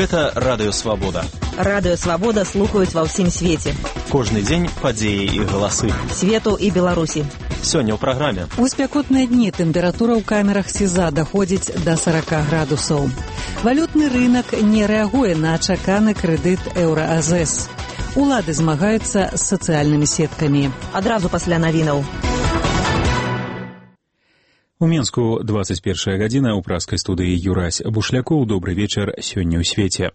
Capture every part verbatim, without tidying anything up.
Гэта Радыё Свабода. Радыё Свабода слухаюць ва ўсім свеце. Кожны дзень падзеі і галасы. Свету і Беларусі. Сёння ў праграме. У спякотныя дні тэмпература ў камерах СІЗА даходзіць да сорок градусаў. Валютны рынак не рэагуе на чаканы крэдыт еўра-АЗС. Улады змагаюцца з сацыяльнымі сеткамі. Адразу пасля навінаў. У Менску двадцать первая гадзіна ў праскай студыі Юрась Бушлякоў. Добры вечар сёння ў свеце.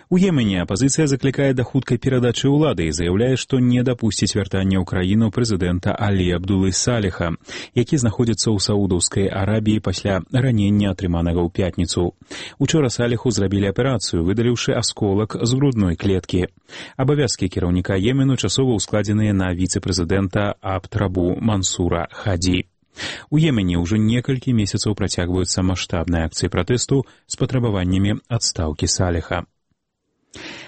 У Йемене апазіцыя заклікае да хуткай перадачы ўлады і заяўляе, што не дапусціць вяртання ў краіну прэзідэнта Алі Абдулы Саліха, які знаходзіцца ў Саудаўскай Арабіі пасля ранення, атрыманага ў пятніцу. Учора Саліху зрабілі аперацыю, выдаліўшы асколак з грудной клеткі. Абавязкі кіраўніка Йемену часова ўскладзеныя на віцэ-прэзідэнта Абд-Рабу Мансура Хаді. У Йемене ўжо некалькі месяцаў працягваюцца маштабныя акцыі пратэсту з патрабаваннямі адстаўкі Саліха.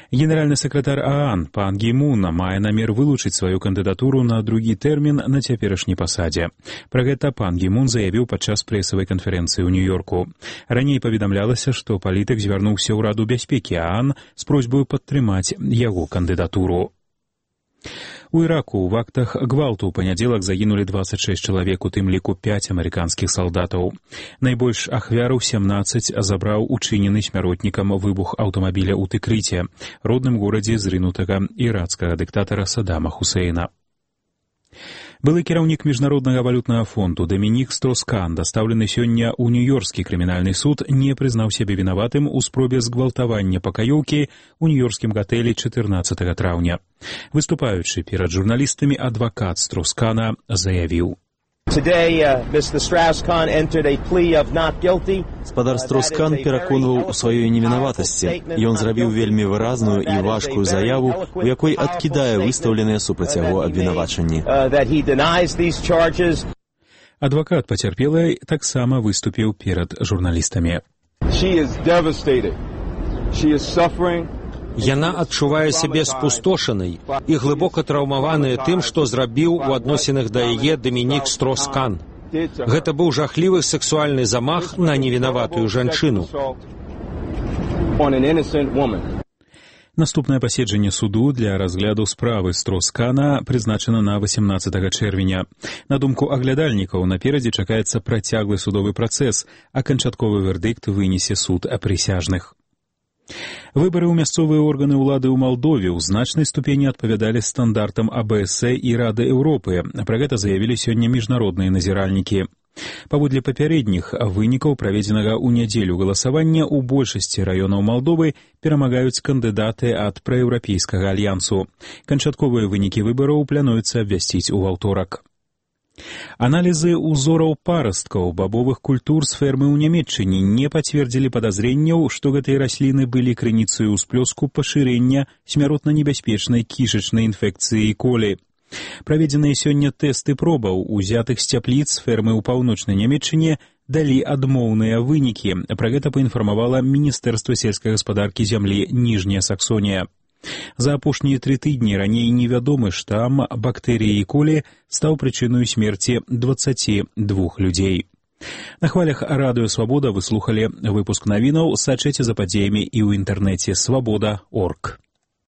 Генеральны сакратар ААН пан Гі Мун мае намер вылучыць сваю кандыдатуру на другі тэрмін на цяперашняй пасадзе. Пра гэта пан Гі Мун заявіў падчас прэсавай канферэнцыі ў Нью-Йорку. Раней паведамлялася, што палітык звярнуўся ў Раду бяспекі ААН з просьбаю падтрымаць яго кандыдатуру. У Іраку ў актах гвалту ў панядзелак загінулі двадцать шесть чалавек, у тым ліку пяць амерыканскіх салдатаў. Найбольш ахвяраў семнадцаць забраў учынены смяротнікам выбух аўтамабіля ў Тыкрыце, родным горадзе зрынутага ірацкага дыктатара Садама Хусейна. Былы кіраўнік Міжнароднага валютнага фонду Дамінік Строскан, дастаўлены сёння ў Нью-Йоркскі крымінальны суд, не прызнаў сябе вінаватым у спробе згвалтавання пакаёўкі ў нью-йоркскім гатэлі чатырнаццатага траўня. Выступаючы перад журналістамі, адвакат Строскана заявіў: Спадар Строскан пераконваў у сваёй невінаватасці. Ён зрабіў вельмі выразную і важкую заяву, у якой адкідае выстаўленыя супраць яго абвінавачанні. Адвакат пацярпелай таксама выступіў перад журналістамі. Яна адчувае сябе спустошанай і глыбока траўмаваная тым, што зрабіў у адносінах да яе Дамінік Строскан. Гэта быў жахлівы сексуальны замах на невінаватую жанчыну. Наступнае паседжанне суду для разгляду справы Строскана прызначана на восемнадцатага чэрвеня. На думку аглядальнікаў, наперадзе чакаецца працяглы судовы працэс, а канчатковы вердыкт вынесе суд прысяжных. Выбары ў мясцовыя органы ўлады ў Малдове ў значнай ступені адпавядалі стандартам А Бэ Эс І і Рады Еўропы. Пра гэта заявілі сёння міжнародныя назіральнікі. Паводле папярэдніх вынікаў праведзенага ў нядзелю галасавання ў большасці раёнаў Малдовы перамагаюць кандыдаты ад праеўрапейскага альянсу. Канчатковыя вынікі выбараў плануецца абвясціць у аўторак. Аналізы ўзораў парасткаў бабовых культур з фермы ў Нямецчыне не пацвердзілі падазрэнняў, што гэтыя расліны былі крыніцай усплёску пашырэння смяротна небяспечнай кішачнай інфекцыі колі. Праведзеныя сёння тэсты пробаў, узятых з цяпліц фермы ў паўночнай Нямецчыне, далі адмоўныя вынікі. Пра гэта паінфармавала Міністэрства сельскай гаспадаркі зямлі Ніжняя Саксонія. За апошнія тры тыдні раней невядомы штам бактэрыі колі стаў прычыною смерці дваццаці двух людзей. На хвалях Радыё Свабода вы слухалі выпуск навінаў. Сачыце за падзеямі і ў інтэрнэце свабода точка орг.